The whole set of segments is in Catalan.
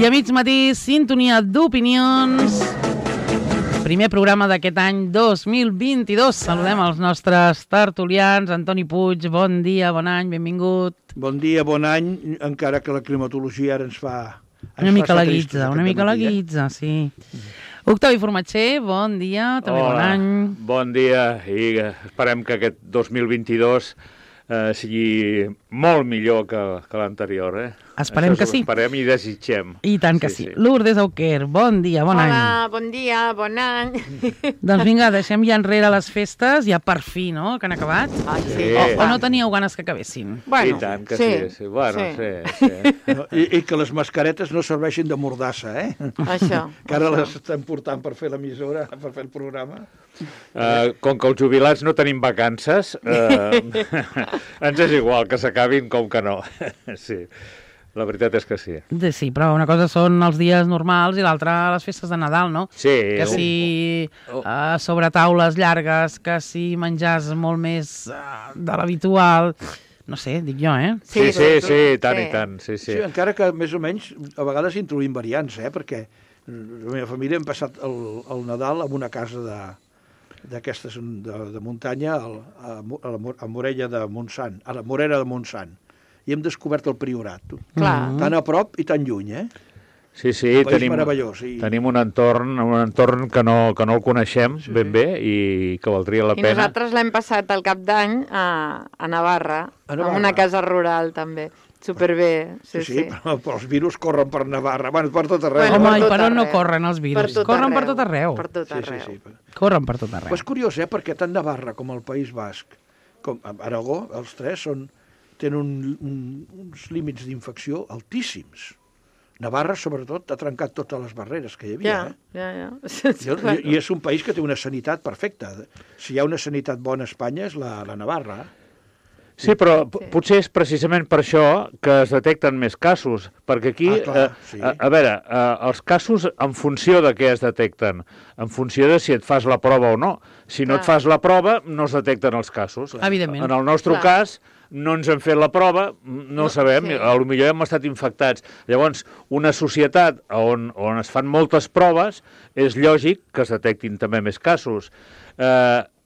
a mig matí, sintonia d'opinions. Primer programa d'aquest any 2022. Saludem els nostres tertulians. Antoni Puig, bon dia, bon any, benvingut. Bon dia, bon any, encara que la climatologia ara ens fa... Una mica la guitza, sí. Octavi Formatger, bon dia, també bon any. Bon dia i esperem que aquest 2022 sigui molt millor que l'anterior, Esperem que sí. Esperem i desitgem. I tant que sí. Lourdes Auquer, bon dia, bon any. Hola, bon dia, bon any. Doncs vinga, deixem ja enrere les festes, ja per fi, no?, que han acabat. Ai, sí. O no teníeu ganes que acabessin? Bueno, I tant que sí. Bueno, sí. I que les mascaretes no serveixin de mordassa, Això. Que ara les estan portant per fer l'emissora, per fer el programa. Com que els jubilats no tenim vacances, ens és igual que s'acabin com que no. Sí. La veritat és que sí. Sí, però una cosa són els dies normals i l'altra les festes de Nadal, no? Sí. Que si sobre taules llargues, que si menjars molt més de l'habitual... No sé, dic jo, Sí, tant i tant. Sí. Sí, encara que més o menys a vegades introduïm variants, perquè la meva família hem passat el Nadal en una casa d'aquestes de muntanya a Morella de Montsant, a la Morera de Montsant. I hem descobert el Priorat. Clar. Tan a prop i tan lluny, Sí, un país meravellós. Tenim un entorn que no el coneixem ben bé i que valdria la pena. I nosaltres l'hem passat al cap d'any a Navarra, en una casa rural també. Superbé, sí. Però els virus corren per Navarra, per tot arreu. Home, i per on no corren els virus? Corren per tot arreu. Per tot arreu. Sí. Corren per tot arreu. És curiós, perquè tant Navarra com el País Basc, com Aragó, els tres tenen uns límits d'infecció altíssims. Navarra, sobretot, ha trencat totes les barreres que hi havia. Ja. I és un país que té una sanitat perfecta. Si hi ha una sanitat bona a Espanya és la Navarra. Sí, però potser és precisament per això que es detecten més casos, perquè aquí, a veure, els casos en funció de què es detecten, en funció de si et fas la prova o no. Si no et fas la prova, no es detecten els casos. Evidentment. En el nostre cas, no ens hem fet la prova, no sabem, potser hem estat infectats. Llavors, una societat on es fan moltes proves, és lògic que es detectin també més casos.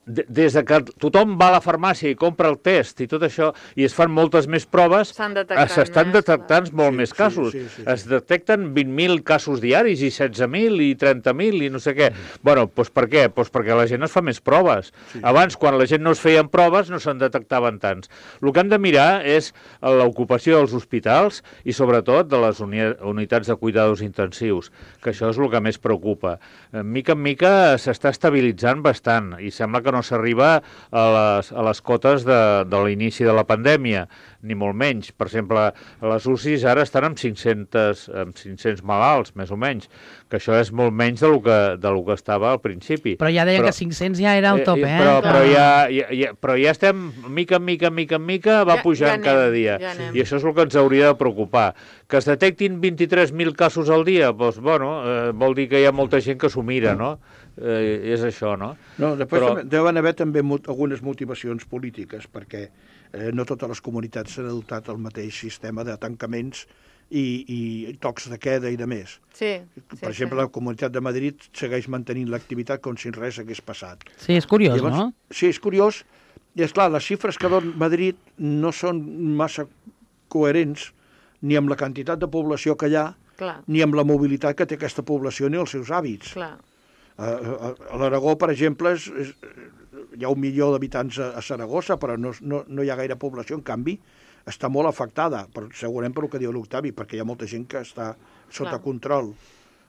Des que tothom va a la farmàcia i compra el test i tot això, i es fan moltes més proves, s'estan detectant molt més casos. Es detecten 20.000 casos diaris i 16.000 i 30.000 i no sé què. Bueno, doncs per què? Doncs perquè la gent es fa més proves. Abans, quan la gent no es feien proves, no se'n detectaven tants. El que hem de mirar és l'ocupació dels hospitals i sobretot de les unitats de cuidados intensius, que això és el que més preocupa. Mica en mica s'està estabilitzant bastant i sembla que no s'arriba a les cotes de l'inici de la pandèmia, ni molt menys. Per exemple, les UCIs ara estan amb 500 malalts, més o menys, que això és molt menys del que estava al principi. Però ja deien que 500 ja era el top, Però ja estem, mica en mica, va pujant cada dia. I això és el que ens hauria de preocupar. Que es detectin 23.000 casos al dia, doncs, bueno, vol dir que hi ha molta gent que s'ho mira, no? És això, no? No, després deuen haver també algunes motivacions polítiques, perquè no totes les comunitats s'han adoptat el mateix sistema de tancaments i tocs de queda i de més. Per exemple, la Comunitat de Madrid segueix mantenint l'activitat com si res hagués passat. Sí, és curiós, no? Sí, és curiós. I, esclar, les xifres que dona Madrid no són massa coherents ni amb la quantitat de població que hi ha, ni amb la mobilitat que té aquesta població ni els seus hàbits. A l'Aragó, per exemple, hi ha 1 milió d'habitants a Saragossa, però no hi ha gaire població, en canvi, està molt afectada, segurament per el que diu l'Octavi, perquè hi ha molta gent que està sota control,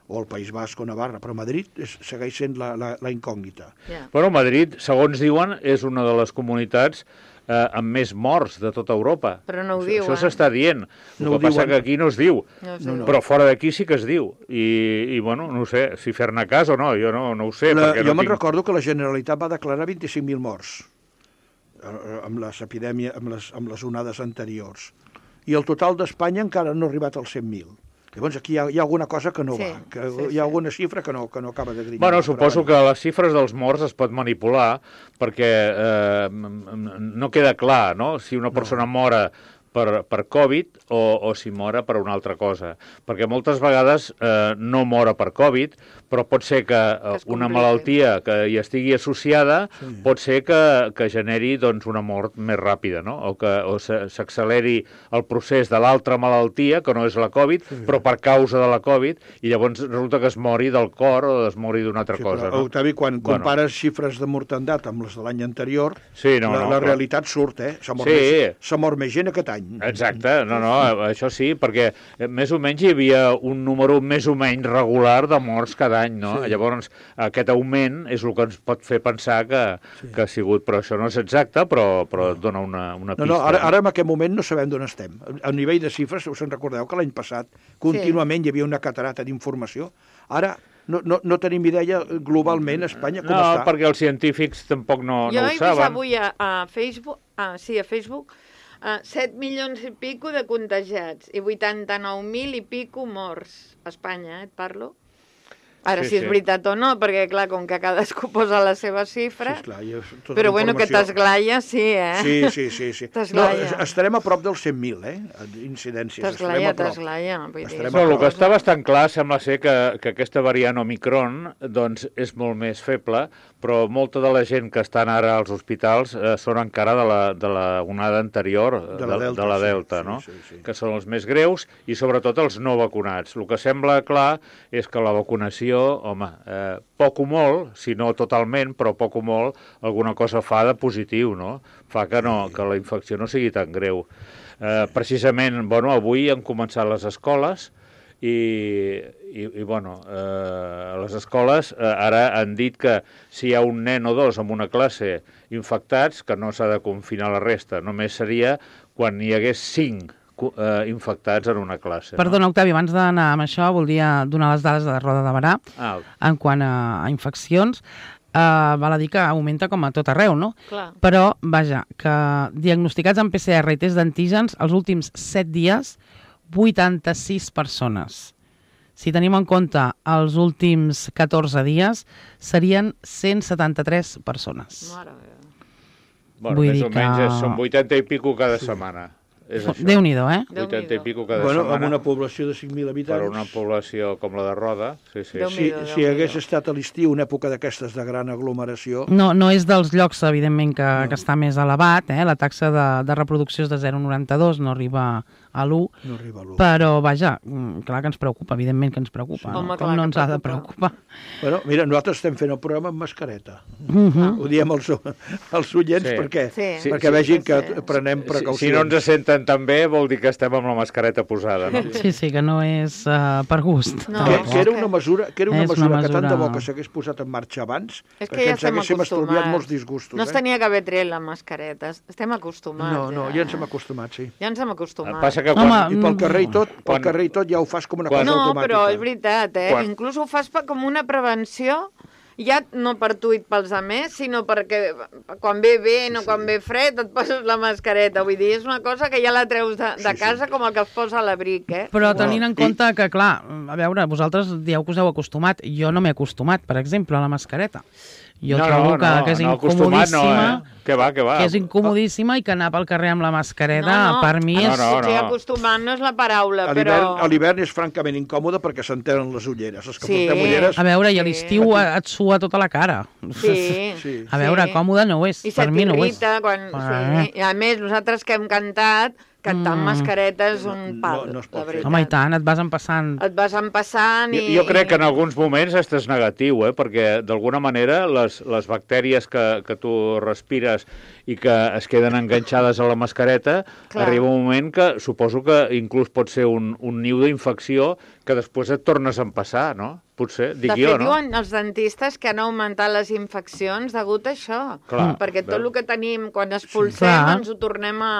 o el País Basc o Navarra, però Madrid segueix sent la incògnita. Bueno, Madrid, segons diuen, és una de les comunitats amb més morts de tota Europa. Però no ho diuen. Això s'està dient. El que passa que aquí no es diu. Però fora d'aquí sí que es diu. I bueno, no sé si fer-ne cas o no, jo no ho sé. Jo me'n recordo que la Generalitat va declarar 25.000 morts amb l'epidèmia, amb les onades anteriors. I el total d'Espanya encara no ha arribat als 100.000. Llavors aquí hi ha alguna cosa que no va, hi ha alguna xifra que no acaba de grinyolar. Bueno, suposo que les xifres dels morts es pot manipular perquè no queda clar, no? Si una persona mora per Covid o si mora per una altra cosa. Perquè moltes vegades no mora per Covid, però pot ser que una malaltia que hi estigui associada pot ser que generi doncs, una mort més ràpida, no? O s'acceleri el procés de l'altra malaltia, que no és la Covid, però per causa de la Covid, i llavors resulta que es mori del cor o es mori d'una altra cosa. No? Octavi, quan compares xifres de mortandat amb les de l'any anterior, la realitat surt, s'ha mort més gent aquest any. Exacte, això sí, perquè més o menys hi havia un número més o menys regular de morts cada any, no? Sí. Llavors, aquest augment és el que ens pot fer pensar que ha sigut, però això no és exacte, però dona una pista. Ara en aquest moment no sabem d'on estem. A nivell de xifres, us en recordeu que l'any passat contínuament hi havia una catarata d'informació. Ara no tenim idea globalment a Espanya com està. No, perquè els científics tampoc no ho saben. Jo he vist avui a Facebook, 7 milions i pico de contagiats i 89.000 i pico morts a Espanya, et parlo? Ara, si és veritat o no, perquè, clar, com que cadascú posa la seva xifra... Sí, esclar, però, bueno, que t'esglaia, sí, Sí. Estarem a prop dels 100.000, incidències. T'esglaia. Però el que està bastant clar sembla ser que aquesta variant Omicron doncs, és molt més feble, però molta de la gent que estan ara als hospitals són encara de la onada anterior, de la Delta, no? Que són els més greus i, sobretot, els no vacunats. El que sembla clar és que la vacunació, home, poc o molt, si no totalment, però poc o molt, alguna cosa fa de positiu, no? Fa que la infecció no sigui tan greu. Precisament, avui han començat les escoles i a les escoles ara han dit que si hi ha un nen o dos en una classe infectats, que no s'ha de confinar la resta, només seria quan hi hagués 5 infectats en una classe. Perdona, Octavi, abans d'anar amb això, voldria donar les dades de la Roda de Barà en quant a infeccions. Val a dir que augmenta com a tot arreu, no? Clar. Però, vaja, que diagnosticats amb PCR i test d'antígens els últims 7 dies, 86 persones. Si tenim en compte els últims 14 dies, serien 173 persones. Mare meva. Més o menys són 80 i pico cada setmana. Déu-n'hi-do, 80 i pico cada setmana. Amb una població de 5.000 habitants. Per una població com la de Roda, sí. Si hagués estat a l'estiu una època d'aquestes de gran aglomeració... No és dels llocs, evidentment, que està més elevat. La taxa de reproducció és de 0,92, no arriba a l'1. No arriba a l'1. Però, vaja, clar que ens preocupa, evidentment que ens preocupa. Com no ens ha de preocupar? Mira, nosaltres estem fent el programa amb mascareta. Ho diem als oients perquè vegin que prenem precaucions. Si no ens senten tan bé, vol dir que estem amb la mascareta posada, no? Sí, que no és per gust. Que era una mesura que tant de bo que s'hagués posat en marxa abans, perquè ens haguéssim estalviat molts disgustos. No es tenia que haver tret la mascareta. Estem acostumats. No, ja ens hem acostumat, sí. Ja ens hem acostumat. I pel carrer i tot ja ho fas com una cosa automàtica. No, però és veritat, inclús ho fas com una prevenció, ja no per tu i pels altres, sinó perquè quan ve vent o quan ve fred et poses la mascareta. Vull dir, és una cosa que ja la treus de casa com el que es posa a l'abric, Però tenint en compte que, clar, a veure, vosaltres dieu que us heu acostumat. Jo no m'he acostumat, per exemple, a la mascareta. Jo trobo que és incomodíssima. Que va. Que és incomodíssima i que anar pel carrer amb la mascareta, per mi és... Potser acostumant no és la paraula, però... A l'hivern és francament incòmode perquè s'entenen les ulleres. Els que portem ulleres... A veure, i a l'estiu et sua tota la cara. Sí. A veure, còmode no ho és. Per mi no ho és. I a més, nosaltres que hem cantat... Cantar amb mascareta és un pal, la veritat. Home, i tant, et vas empassant. I... Jo crec que en alguns moments és negatiu, perquè d'alguna manera les bactèries que tu respires i que es queden enganxades a la mascareta, arriba un moment que suposo que inclús pot ser un niu d'infecció que després et tornes a empassar, no? Potser, dic jo, no? De fet, diuen els dentistes que han augmentat les infeccions degut a això. Perquè tot el que tenim quan expulsem ens ho tornem a...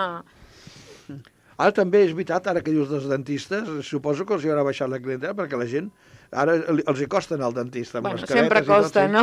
Ara també és veritat, ara que dius dels dentistes, suposo que els hi haurà baixat la clientela perquè la gent Ara els hi costa anar al dentista amb mascaretes. Sempre costa, no?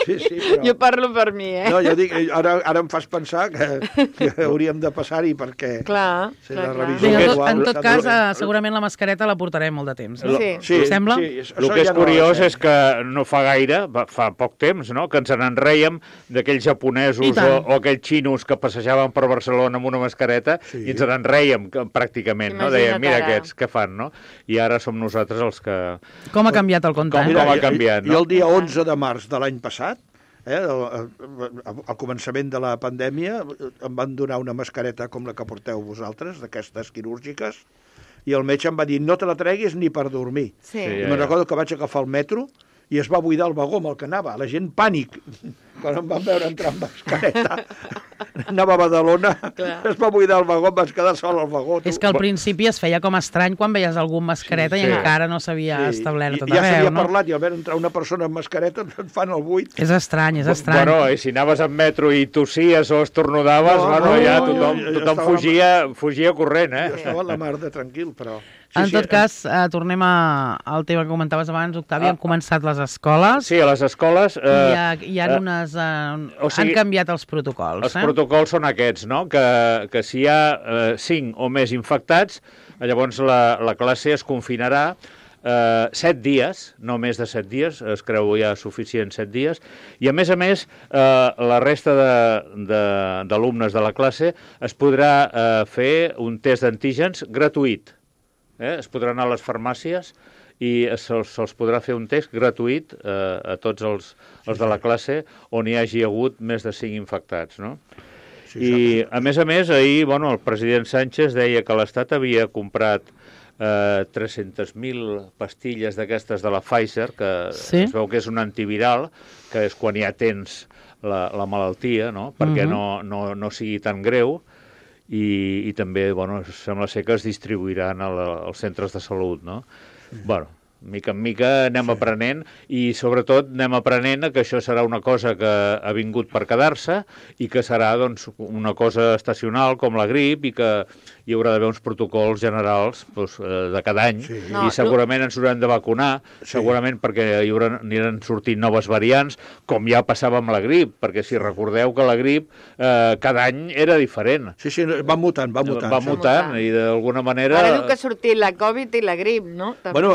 Sí, però... Jo parlo per mi, No, jo dic, ara em fas pensar que hauríem de passar-hi perquè... Clar. En tot cas, segurament la mascareta la portarem molt de temps. Sí. Sembla? El que és curiós és que no fa gaire, fa poc temps, no?, que ens n'enreiem d'aquells japonesos o aquells xinos que passejaven per Barcelona amb una mascareta i ens n'enreiem pràcticament, no? Dèiem, mira aquests, què fan, no? I ara som nosaltres els que... Com ha canviat el compte? Com ha canviat, no? Jo el dia 11 de març de l'any passat, al començament de la pandèmia, em van donar una mascareta com la que porteu vosaltres, d'aquestes quirúrgiques, i el metge em va dir, no te la treguis ni per dormir. I me'n recordo que vaig agafar el metro i es va buidar el vagó amb el que anava. La gent pànic. Quan em van veure entrar amb mascareta, anava a Badalona, es va buidar el vagó, em vaig quedar sol al vagó. És que al principi es feia com estrany quan veies algú amb mascareta i encara no s'havia establert tot arreu, no? Ja s'havia parlat i al veure entrar una persona amb mascareta et fan el buit. És estrany, és estrany. Bueno, i si anaves en metro i tossies o estornudaves, ja tothom fugia corrent, eh? Estava la mar de tranquil, però... En tot cas, tornem al tema que comentaves abans, Octavi, han començat les escoles. Sí, a les escoles... Hi ha unes... Han canviat els protocols. Els protocols són aquests, no?, que si hi ha 5 o més infectats, llavors la classe es confinarà 7 dies, no més de 7 dies, es creu ja suficient 7 dies, i a més, la resta d'alumnes de la classe es podrà fer un test d'antígens gratuït. Es podrà anar a les farmàcies i se'ls podrà fer un test gratuït a tots els de la classe on hi hagi hagut més de 5 infectats, no? I, a més, ahir, el president Sánchez deia que l'Estat havia comprat 300.000 pastilles d'aquestes de la Pfizer, que es veu que és un antiviral, que és quan ja tens la malaltia, no?, perquè no sigui tan greu, i també, sembla ser que es distribuiran als centres de salut, no? Mica en mica anem aprenent i sobretot anem aprenent que això serà una cosa que ha vingut per quedar-se i que serà una cosa estacional com la grip i que hi haurà d'haver uns protocols generals de cada any i segurament ens haurem de vacunar, segurament perquè aniran sortint noves variants, com ja passava amb la grip, perquè si recordeu que la grip cada any era diferent. Sí, va mutant. Va mutant i d'alguna manera... Ara diu que ha sortit la Covid i la grip, no? Bueno,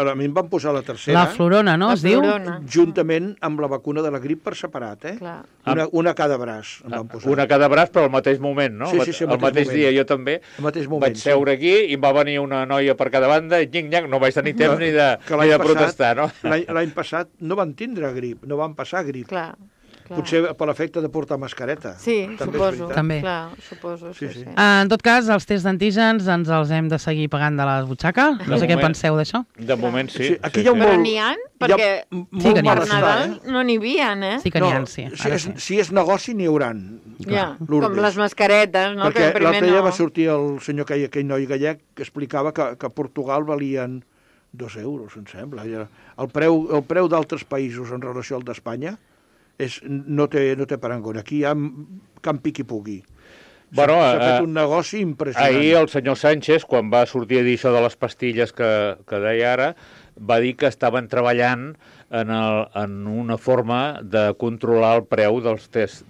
a mi em van posar la tercera. La florona, no? Es diu? Juntament amb la vacuna de la grip per separat, Una a cada braç em van posar. Una a cada braç, però al mateix moment, no? Sí, al mateix dia, jo també. Vaig seure aquí i em va venir una noia per cada banda i no vaig tenir temps ni de protestar, no? L'any passat no van tindre grip, no van passar grip. Clar. Potser per l'efecte de portar mascareta. Sí, suposo. També. Clar, suposo, sí. En tot cas, els tests d'antígens ens els hem de seguir pagant de la butxaca. No sé què penseu d'això. De moment sí. Però n'hi ha? Perquè per Nadal no n'hi havia, Sí que n'hi ha, sí. Si és negoci, n'hi hauran. Com les mascaretes, no? Perquè l'altre dia va sortir el senyor aquell noi gallec que explicava que a Portugal valien 2 euros, em sembla. El preu d'altres països en relació al d'Espanya no té parangó. Aquí hi ha campi qui pugui. S'ha fet un negoci impressionant. Ahir el senyor Sánchez, quan va sortir a dir això de les pastilles que deia ara, va dir que estaven treballant en una forma de controlar el preu del test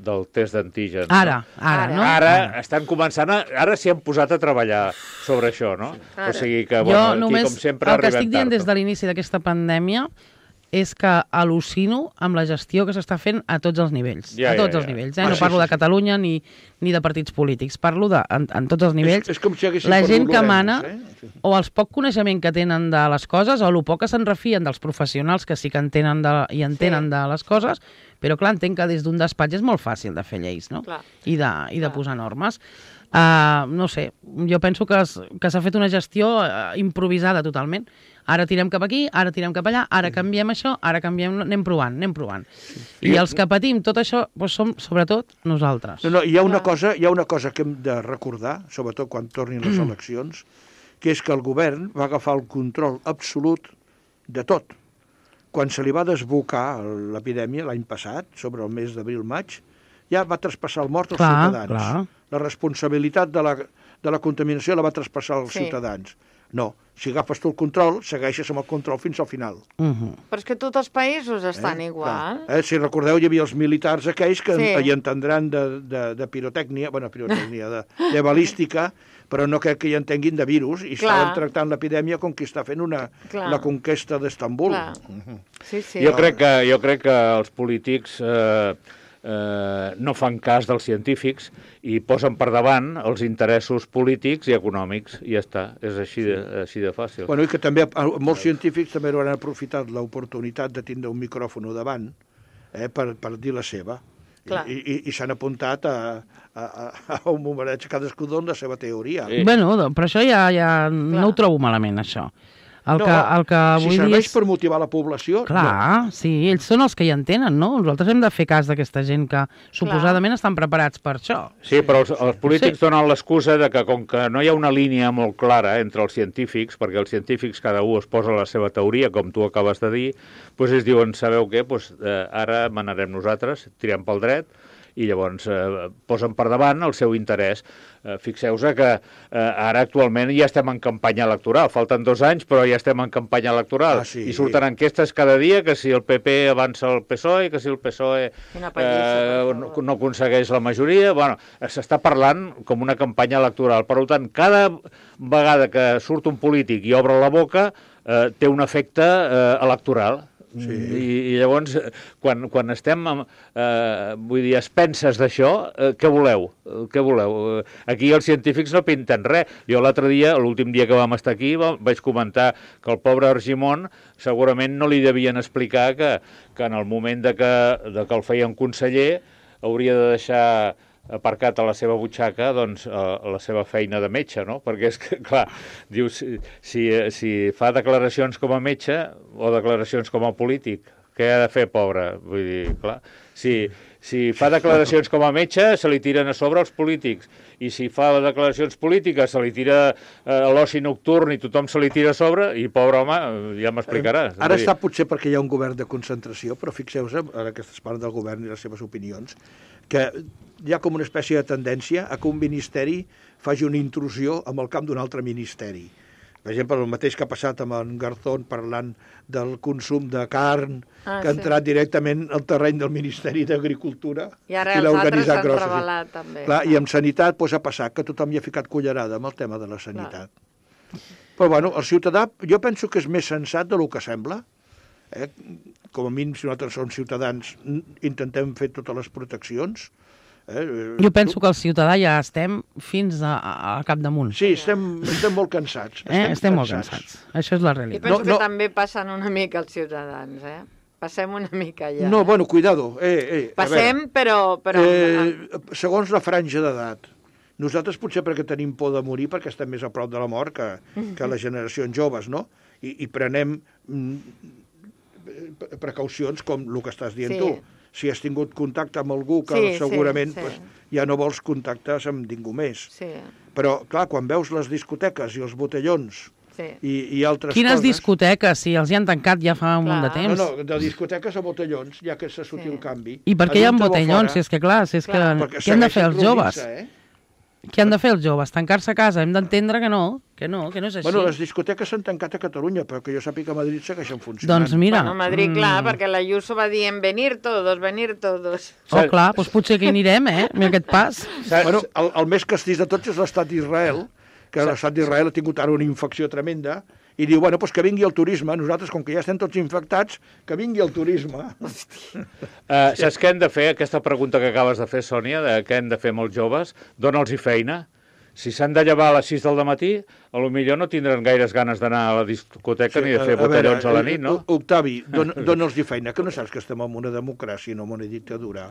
d'antígens. Ara, no? Ara estan començant, ara s'hi han posat a treballar sobre això, no? O sigui que, aquí, com sempre, el que estic dient des de l'inici d'aquesta pandèmia és que al·lucino amb la gestió que s'està fent a tots els nivells. A tots els nivells. No parlo de Catalunya ni de partits polítics. Parlo en tots els nivells. És com si la gent que mana, o el poc coneixement que tenen de les coses, o el poc que se'n refien dels professionals que sí que entenen de les coses, però clar, entenc que des d'un despatx és molt fàcil de fer lleis, no? I de posar normes. No sé, jo penso que s'ha fet una gestió improvisada totalment. Ara tirem cap aquí, ara tirem cap allà, ara canviem això, ara canviem... Anem provant. I els que patim tot això som, sobretot, nosaltres. No, hi ha una cosa que hem de recordar, sobretot quan tornin les eleccions, que és que el govern va agafar el control absolut de tot. Quan se li va desbocar l'epidèmia l'any passat, sobre el mes d'abril-maig, ja va traspassar el mort als ciutadans. La responsabilitat de la contaminació la va traspassar als ciutadans. No, si agafes tu el control, segueixes amb el control fins al final. Però és que tots els països estan igual. Si recordeu, hi havia els militars aquells que hi entendran de pirotècnia, de balística, però no crec que hi entenguin de virus, i estaven tractant l'epidèmia com qui està fent la conquesta d'Estambul. Jo crec que els polítics no fan cas dels científics i posen per davant els interessos polítics i econòmics, i ja està, és així de fàcil. Bueno, i que també molts científics també han aprofitat l'oportunitat de tindre un micròfon davant per dir la seva, i s'han apuntat a un bombareig cadascú dona la seva teoria. Bueno, però això ja no ho trobo malament, això. El que si serveix per motivar la població... Clar, sí, ells són els que hi entenen, no? Nosaltres hem de fer cas d'aquesta gent que suposadament estan preparats per això. Sí, però els polítics donen l'excusa de que com que no hi ha una línia molt clara entre els científics, perquè els científics cada un es posa la seva teoria, com tu acabes de dir, doncs ells diuen, sabeu què, ara manarem nosaltres, tirem pel dret, i llavors posen per davant el seu interès. Fixeu-vos que ara actualment ja estem en campanya electoral, falten 2 anys però ja estem en campanya electoral, i surten enquestes cada dia que si el PP avança el PSOE, que si el PSOE no aconsegueix la majoria. Bueno, s'està parlant com una campanya electoral, per tant cada vegada que surt un polític i obre la boca té un efecte electoral. I llavors, quan estem a expenses d'això, què voleu? Aquí els científics no pinten res. Jo l'altre dia, l'últim dia que vam estar aquí, vaig comentar que el pobre Argimon segurament no li devien explicar que en el moment de que el feien conseller hauria de deixar aparcat a la seva butxaca la seva feina de metge, no? Perquè és que, clar, dius, si fa declaracions com a metge o declaracions com a polític, què ha de fer, pobre? Vull dir, clar, si fa declaracions com a metge, se li tiren a sobre els polítics, i si fa declaracions polítiques, se li tira l'oci nocturn i tothom se li tira a sobre, i pobre home, ja m'explicaràs. Ara està potser perquè hi ha un govern de concentració, però fixeu-vos, ara que es parla del govern i les seves opinions, que hi ha com una espècie de tendència a que un ministeri faci una intrusió en el camp d'un altre ministeri. Per exemple, el mateix que ha passat amb en Garzón parlant del consum de carn, que ha entrat directament al terreny del Ministeri d'Agricultura i l'ha organitzat grossa. Revelat, també. Clar, i amb sanitat ha passat que tothom hi ha ficat cullerada amb el tema de la sanitat. Però bueno, el ciutadà jo penso que és més sensat del que sembla. Com a mínim, si nosaltres som ciutadans, intentem fer totes les proteccions. Jo penso que el ciutadà ja estem fins al capdamunt. Sí, estem molt cansats. Estem molt cansats. Això és la realitat. I penso que també passen una mica els ciutadans, Passem una mica ja. No, bueno, cuidado. Passem, però... Segons la franja d'edat. Nosaltres potser perquè tenim por de morir, perquè estem més a prop de la mort que les generacions joves, no? I prenem precaucions com el que estàs dient tu. Si has tingut contacte amb algú que segurament ja no vols contactes amb ningú més. Però, clar, quan veus les discoteques i els botellons i altres coses... Quines discoteques? Si els hi han tancat ja fa un munt de temps. No, de discoteques a botellons, ja que s'ha sortit el canvi. I per què hi ha botellons? Si és que, clar, què han de fer els joves? Què han de fer els joves? Tancar-se a casa? Hem d'entendre que no és així. Bueno, les discoteques s'han tancat a Catalunya, però que jo sàpiga que a Madrid segueixen funcionant. Doncs mira... Bueno, a Madrid, clar, perquè la Ayuso va dient venir todos. Oh, clar, doncs potser que hi anirem, amb aquest pas. Bueno, el més castís de tots és l'estat d'Israel, que l'estat d'Israel ha tingut ara una infecció tremenda, i diu, bueno, doncs que vingui el turisme. Nosaltres, com que ja estem tots infectats, que vingui el turisme. Saps què hem de fer? Aquesta pregunta que acabes de fer, Sònia, de què hem de fer amb els joves, dona'ls-hi feina. Si s'han de llevar a les 6 del matí, potser no tindran gaires ganes d'anar a la discoteca ni de fer botellons a la nit, no? Octavi, dona'ls-hi feina, que no saps que estem en una democràcia, no en una dictadura.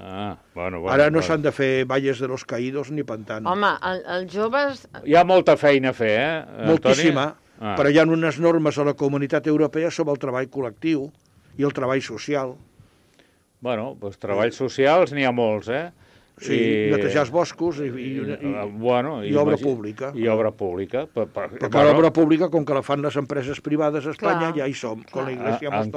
Bueno. Ara no s'han de fer valles de los caídos ni pantanos. Home, els joves... Hi ha molta feina a fer, Moltíssima, però hi ha unes normes a la Comunitat Europea sobre el treball col·lectiu i el treball social. Bueno, doncs treballs socials n'hi ha molts, Sí, netejar els boscos i obra pública. I obra pública. Perquè l'obra pública, com que la fan les empreses privades a Espanya, ja hi som. En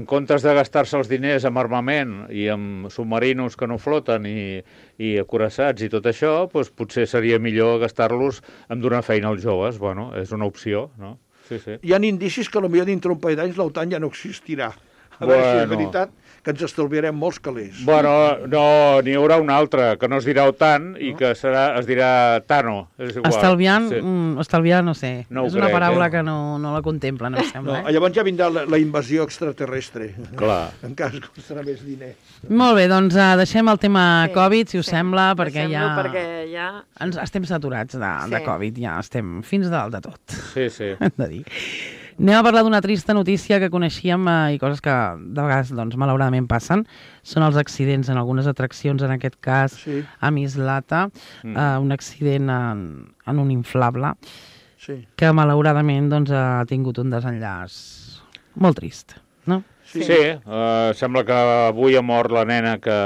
comptes de gastar-se els diners en armament i en submarinos que no floten i acoraçats i tot això, doncs potser seria millor gastar-los en donar feina als joves. Bueno, és una opció, no? Sí. Hi ha indicis que potser dintre un parell d'anys l'OTAN ja no existirà. A veure si és veritat que ens estalviarem molts calés. Bueno, no, n'hi haurà un altre, que no es dirà OTAN i que es dirà TANO. És igual. Estalviar, no sé. No és una paraula que no la contemplen, em sembla. Llavors ja vindrà la invasió extraterrestre. Clar. En cas que costarà més diner. Molt bé, doncs deixem el tema Covid, si us sembla, perquè ja estem saturats de Covid, ja estem fins dalt de tot. Sí. Hem de dir. Anem a parlar d'una trista notícia que coneixíem i coses que de vegades, doncs, malauradament passen. Són els accidents en algunes atraccions, en aquest cas a Mislata, un accident en un inflable, que malauradament doncs, ha tingut un desenllaç molt trist, no? Sí, sembla que avui ha mort la nena que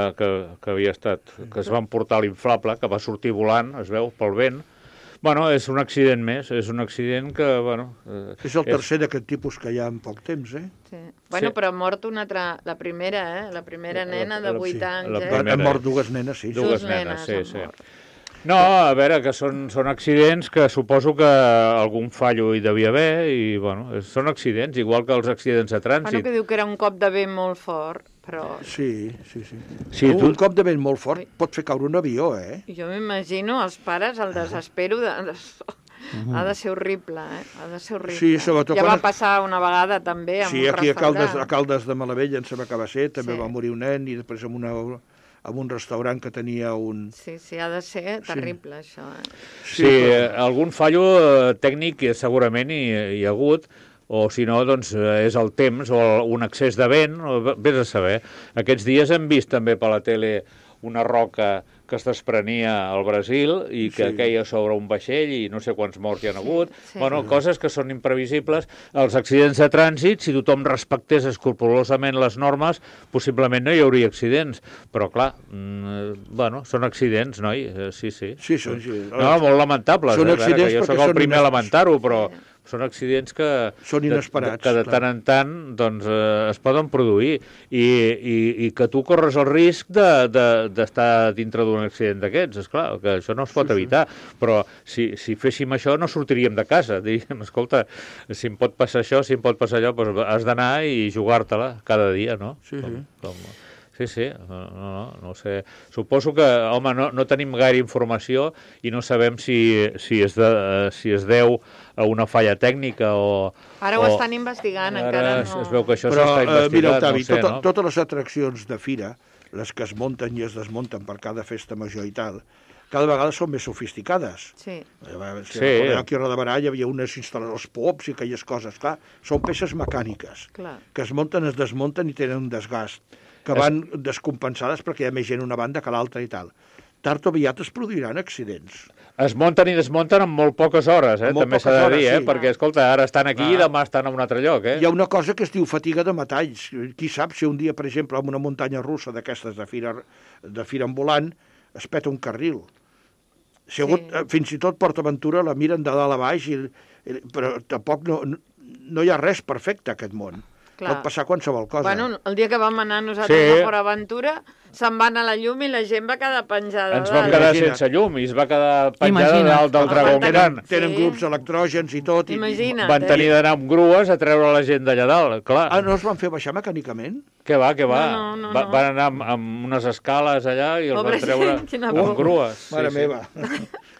havia estat, que es va emportar l'inflable, que va sortir volant, es veu, pel vent. Bueno, és un accident més, és un accident que, bueno... És el tercer d'aquest tipus que hi ha en poc temps, Sí. Bueno, però ha mort una altra... La primera, La primera nena de 8 anys, Han mort dues nenes, sí. Dues nenes, sí. No, a veure, que són accidents que suposo que algun fallo hi devia haver i, bueno, són accidents, igual que els accidents de trànsit. Bueno, que diu que era un cop de vent molt fort, però... Sí. Un cop de vent molt fort pot fer caure un avió, Jo m'imagino els pares, el desespero ha de ser horrible, Ha de ser horrible. Sí, sobretot ja va passar una vegada també amb un restaurant. Sí, aquí a Caldes de Malavella em sembla que va ser, també va morir un nen i després amb un restaurant que tenia un... Sí, ha de ser terrible, això. Sí, algun fallo tècnic segurament hi ha hagut, o si no, doncs és el temps o un excés de vent, vés a saber. Aquests dies hem vist també per la tele una roca que es desprenia al Brasil i que queia sobre un vaixell i no sé quants morts hi ha hagut. Bueno, coses que són imprevisibles. Els accidents de trànsit, si tothom respectés escrupolosament les normes, possiblement no hi hauria accidents. Però, clar, bueno, són accidents, noi? Sí. Sí, són accidents. No, molt lamentables. Són accidents jo sóc el primer a lamentar-ho, però... Són accidents que... Són inesperats. Que de tant en tant doncs, es poden produir i que tu corres el risc d'estar dintre d'un accident d'aquests. Esclar, que això no es pot evitar. Però si féssim això no sortiríem de casa. Diríem, escolta, si em pot passar això, si em pot passar allò, doncs has d'anar i jugar-te-la cada dia, no? Sí. Sí, no sé. Suposo que, home, no tenim gaire informació i no sabem si es deu a una falla tècnica o... Ara ho estan investigant, encara no... Es veu que això s'està investigant, mira, Octavi, no sé, no? Totes les atraccions de fira, les que es munten i es desmunten per cada festa major i tal, cada vegada són més sofisticades. Sí. Aquí a Rodabarà hi havia unes instal·ladors pops i aquelles coses, clar, són peces mecàniques, que es munten, es desmunten i tenen un desgast, que van descompensades perquè hi ha més gent una banda que l'altra i tal. Tard o aviat es produiran accidents. Es munten i desmunten en molt poques hores, també s'ha de dir, perquè, escolta, ara estan aquí i demà estan en un altre lloc. Hi ha una cosa que es diu fatiga de metalls. Qui sap si un dia, per exemple, en una muntanya russa d'aquestes de fira ambulant, es peta un carril. Fins i tot PortAventura la miren de dalt a baix, però tampoc no hi ha res perfecte a aquest món. Pot passar qualsevol cosa. Bueno, el dia que vam anar nosaltres a PortAventura se'n va anar la llum i la gent va quedar penjada. Ens vam quedar sense llum i es va quedar penjada dalt del dragó gran. Tenen grups electrògens i tot. Imagina't. Van tenir d'anar amb grues a treure la gent d'allà dalt, clar. No es van fer baixar mecànicament? Què va? No. Van anar amb unes escales allà i els van treure amb grues. Mare meva.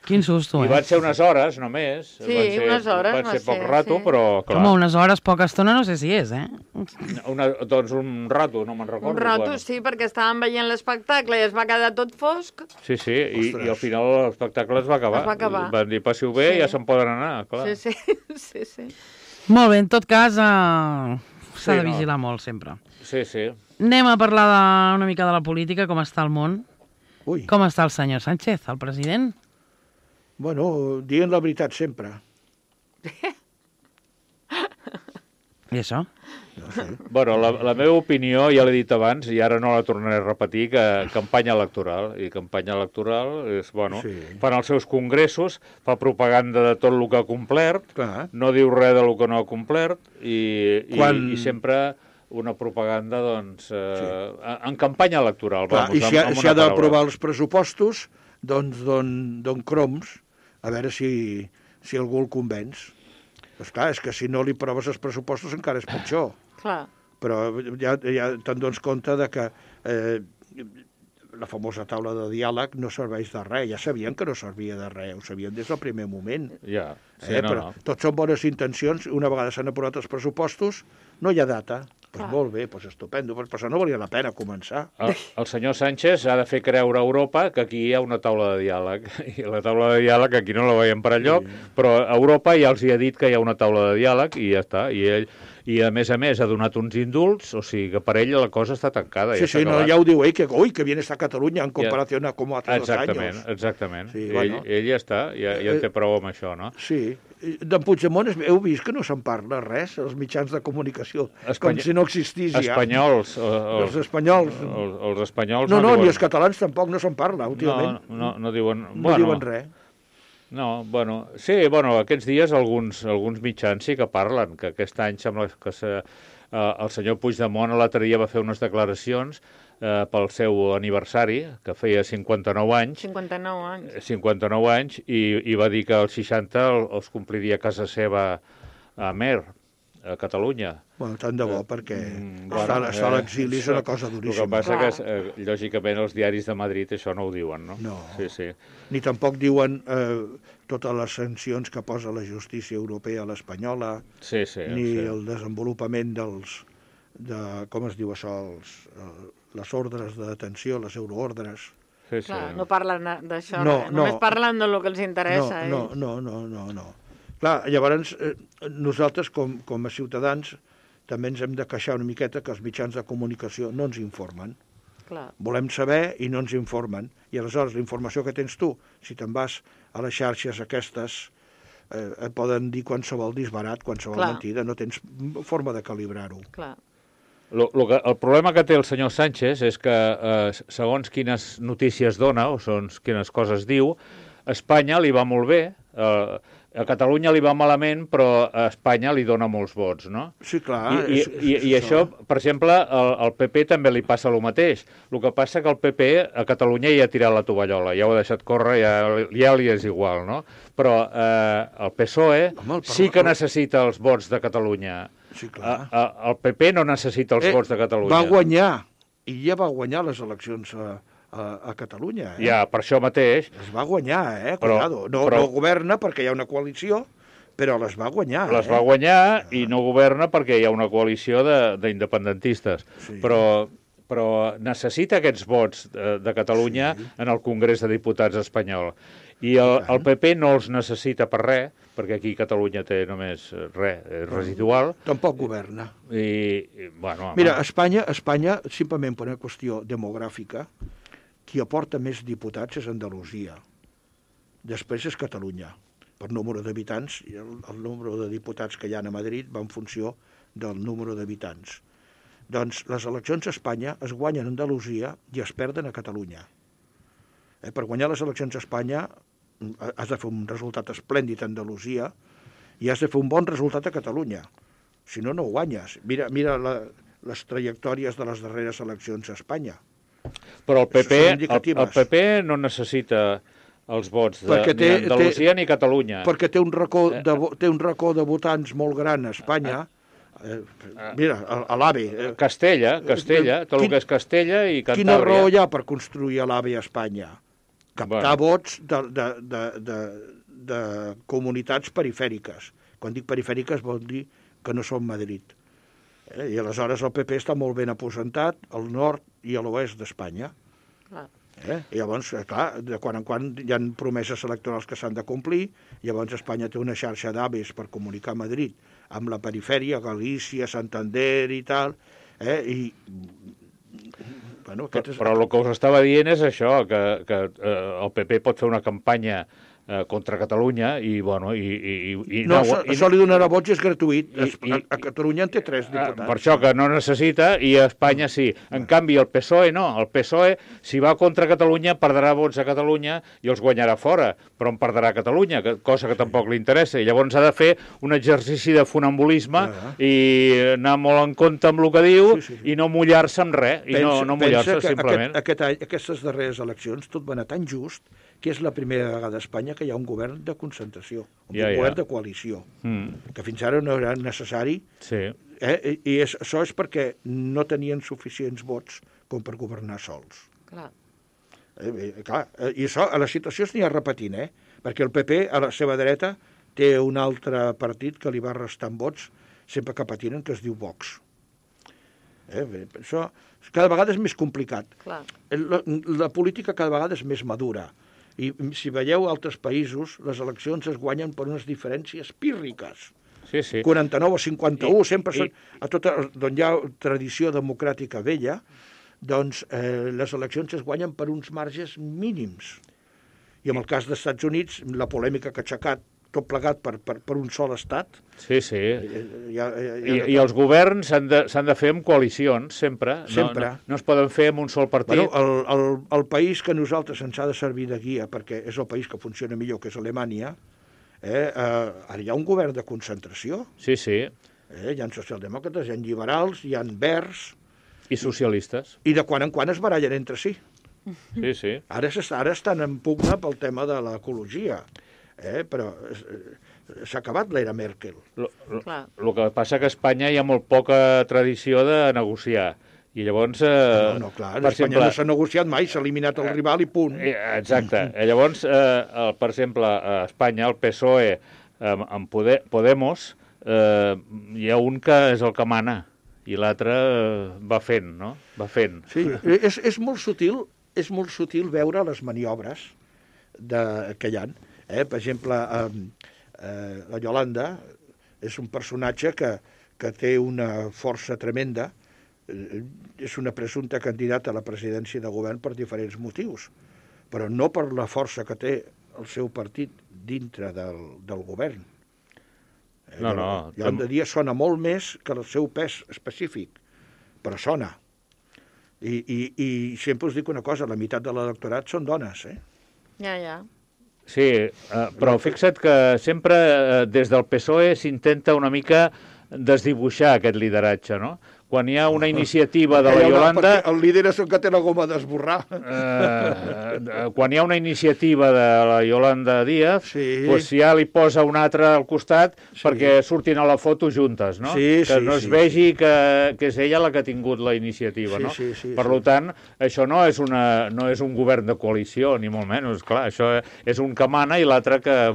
Quin susto, I van ser unes hores, només. Sí, unes hores. Van ser poc rato, però clar. Com unes hores, poca estona, no sé si és, Doncs un rato, no me'n recordo. Un rato, sí, perquè estàvem veient l'espectacle i es va quedar tot fosc. Sí, i al final l'espectacle es va acabar. Van dir, passiu bé i ja se'n poden anar, clar. Sí. Molt bé, en tot cas, s'ha de vigilar molt, sempre. Sí. Anem a parlar una mica de la política, com està el món. Com està el senyor Sánchez, el president? Bueno, dient la veritat sempre. I això? No sé. Bueno, la meva opinió, ja l'he dit abans, i ara no la tornaré a repetir, que campanya electoral. I campanya electoral és, bueno, fan els seus congressos, fa propaganda de tot el que ha complert, no diu res del que no ha complert, i sempre una propaganda, doncs, en campanya electoral. I si ha d'aprovar els pressupostos, doncs don croms, a veure si algú el convenç. Esclar, és que si no li proves els pressupostos encara és pitjor. Clar. Però ja te'n dones compte de que la famosa taula de diàleg no serveix de res. Ja sabien que no servia de res, ho sabien des del primer moment. Ja, però tot són bones intencions. Una vegada s'han aprovat els pressupostos, no hi ha data. Doncs molt bé, doncs estupendo, però això no valia la pena començar. El senyor Sánchez ha de fer creure a Europa que aquí hi ha una taula de diàleg. I la taula de diàleg aquí no la veiem per enlloc, però a Europa ja els hi ha dit que hi ha una taula de diàleg i ja està. I a més, ha donat uns indults, o sigui que per ell la cosa està tancada. Sí, ja ho diu ell, que bien està Catalunya en comparació a com hace 2 anys. Exactament. Ell ja està, ja en té prou amb això, no? Sí. D'en Puigdemont heu vist que no se'n parla res, els mitjans de comunicació, com si no existís ja. Espanyols. Els espanyols. Els espanyols no diuen... ni els catalans tampoc no se'n parla, últimament. No diuen... No diuen res. No, aquests dies alguns mitjans sí que parlen, que aquest any sembla que el senyor Puigdemont l'altre dia va fer unes declaracions pel seu aniversari, que feia 59 anys. 59 anys. 59 anys, i va dir que als 60 els compliria a casa seva a Mer, a Catalunya. Bueno, tant de bo, perquè estar a l'exili és una cosa duríssima. El que passa que, lògicament, els diaris de Madrid això no ho diuen, no? No. Sí. Ni tampoc diuen totes les sancions que posa la justícia europea a l'espanyola, ni el desenvolupament com es diu això, les ordres de detenció, les euroordres. Clar, no parlen d'això, només parlen del que els interessa. No. Clar, llavors, nosaltres, com a ciutadans, també ens hem de queixar una miqueta que els mitjans de comunicació no ens informen. Clar. Volem saber i no ens informen. I aleshores, la informació que tens tu, si te'n vas a les xarxes aquestes, et poden dir qualsevol disbarat, qualsevol mentida, no tens forma de calibrar-ho. Clar. El problema que té el senyor Sánchez és que, segons quines notícies dona, o segons quines coses diu, a Espanya li va molt bé, a Catalunya li va malament, però a Espanya li dona molts vots, no? Sí, clar. I això, per exemple, al PP també li passa el mateix. El que passa que el PP a Catalunya ja ha tirat la tovallola, ja ho ha deixat córrer, ja li és igual, no? Però el PSOE sí que necessita els vots de Catalunya. Sí, clar. El PP no necessita els vots de Catalunya. Va guanyar, i ja va guanyar les eleccions a Catalunya. Ja, per això mateix. Es va guanyar, cuidado. No governa perquè hi ha una coalició, però les va guanyar. Les va guanyar i no governa perquè hi ha una coalició d'independentistes. Sí. Però necessita aquests vots de Catalunya en el Congrés de Diputats espanyol. I el PP no els necessita per res, perquè aquí Catalunya té només res, és residual. Tampoc governa. Mira, Espanya, simplement per una qüestió demogràfica, qui aporta més diputats és Andalusia. Després és Catalunya. Per número d'habitants, el número de diputats que hi ha a Madrid va en funció del número d'habitants. Doncs les eleccions a Espanya es guanyen a Andalusia i es perden a Catalunya. Per guanyar les eleccions a Espanya has de fer un resultat esplèndid a Andalusia i has de fer un bon resultat a Catalunya. Si no, no guanyes. Mira les trajectòries de les darreres eleccions a Espanya. Però el PP no necessita els vots ni Andalusia ni Catalunya. Perquè té un racó de votants molt gran a Espanya. Mira, a l'AVE. Castella, tot el que és Castella i Cantàbria. Quina raó hi ha per construir a l'AVE a Espanya? Captar vots de comunitats perifèriques. Quan dic perifèriques vol dir que no són Madrid. I aleshores el PP està molt ben aposentat al nord i a l'oest d'Espanya. I llavors, clar, de quan en quan hi ha promeses electorals que s'han de complir, llavors Espanya té una xarxa d'AVEs per comunicar a Madrid amb la perifèria, Galícia, Santander i tal, Però el que us estava dient és això, que el PP pot fer una campanya contra Catalunya i, bueno... No, això li donarà vots, és gratuït. A Catalunya en té 3 diputats. Per això que no necessita, i a Espanya sí. En canvi, el PSOE no. El PSOE, si va contra Catalunya, perdrà vots a Catalunya i els guanyarà fora, però en perdrà a Catalunya, cosa que tampoc li interessa. I llavors ha de fer un exercici de funambulisme i anar molt en compte amb el que diu i no mullar-se amb res, i no mullar-se simplement. Aquestes darreres eleccions tot va anar tan just que és la primera vegada a Espanya que hi ha un govern de concentració, un govern de coalició, que fins ara no era necessari. Sí. I això és perquè no tenien suficients vots com per governar sols. Clar. I això, a les situacions n'hi ha repetint, perquè el PP, a la seva dreta, té un altre partit que li va restant vots, sempre que patinen, que es diu Vox. Això cada vegada és més complicat. Clar. La política cada vegada és més madura. I si veieu altres països, les eleccions es guanyen per unes diferències pírriques. Sí. 49 o 51, sempre són... D'on hi ha tradició democràtica vella, doncs les eleccions es guanyen per uns marges mínims. I en el cas dels Estats Units, la polèmica que ha aixecat tot plegat per un sol estat. Sí. I els governs s'han de fer amb coalicions, sempre. Sempre. No es poden fer amb un sol partit. Bueno, el país que a nosaltres ens ha de servir de guia, perquè és el país que funciona millor, que és Alemanya, ara hi ha un govern de concentració. Sí. Hi ha socialdemòcrates, hi ha liberals, hi ha verds... I socialistes. I de quan en quan es barallen entre si. Sí. Ara estan en pugna pel tema de l'ecologia. Però s'ha acabat l'era Merkel. El que passa que a Espanya hi ha molt poca tradició de negociar. I llavors... Clar, a Espanya no s'ha negociat mai, s'ha eliminat el rival i punt. Exacte. Llavors, per exemple, a Espanya, el PSOE amb Podemos, hi ha un que és el que mana i l'altre va fent, no? Va fent. Sí, és molt sutil veure les maniobres que hi ha. Per exemple, la Yolanda és un personatge que té una força tremenda, és una presumpta candidata a la presidència de govern per diferents motius, però no per la força que té el seu partit dintre del govern. Yolanda Díaz sona molt més que el seu pes específic, però sona. I sempre us dic una cosa, la meitat de l'electorat són dones, Ja. Sí, però fixa't que sempre des del PSOE s'intenta una mica desdibuixar aquest lideratge, no? Quan hi ha una iniciativa de la Yolanda... El líder és el que té la goma d'esborrar. Quan hi ha una iniciativa de la Yolanda Díaz, doncs ja li posa un altre al costat perquè surtin a la foto juntes, no? Que no es vegi que és ella la que ha tingut la iniciativa, no? Per tant, això no és un govern de coalició, ni molt menys, clar, això és un que mana i l'altre que